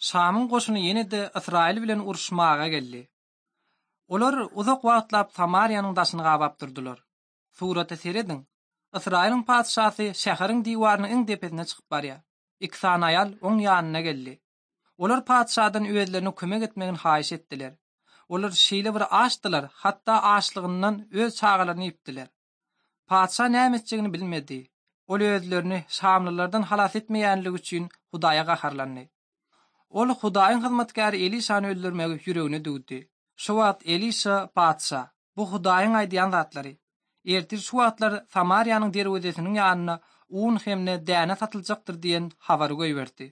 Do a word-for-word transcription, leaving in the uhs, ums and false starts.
Şamyň goşuny ýene-de Ysraýyl bilen uruşmaga geldi. Olar uzak wagtlap Samariýanyň daşyny gabap durdular. Surata serediň. Ysraýylyň patyşasy şäheriň diwarynyň iň depesine çykyp barýar. Iki sany aýal oň ýanyna geldi. Olar patyşadan özlerine kömek etmegini haýyş etdiler. Olar şeýle bir açdylar, hatda açlygyndan öz çagalaryny iýipdiler. Patyşa näme etjegini bilmedi. Ol özlerini Şamlylardan halas etmeýänligi üçin Hudaýa gaharlandy. Ol Hudaýyň hyzmatkäri Elişany öldürmegi ýüregine düwdi. Şu wagt Elişa patyşa, bu Hudaýyň aýdýan zatlary. Ertir şu wagtlar Samariýanyň derwezesiniň ýanyna un hem-de däne satyljakdyr diýen habary goýberdi.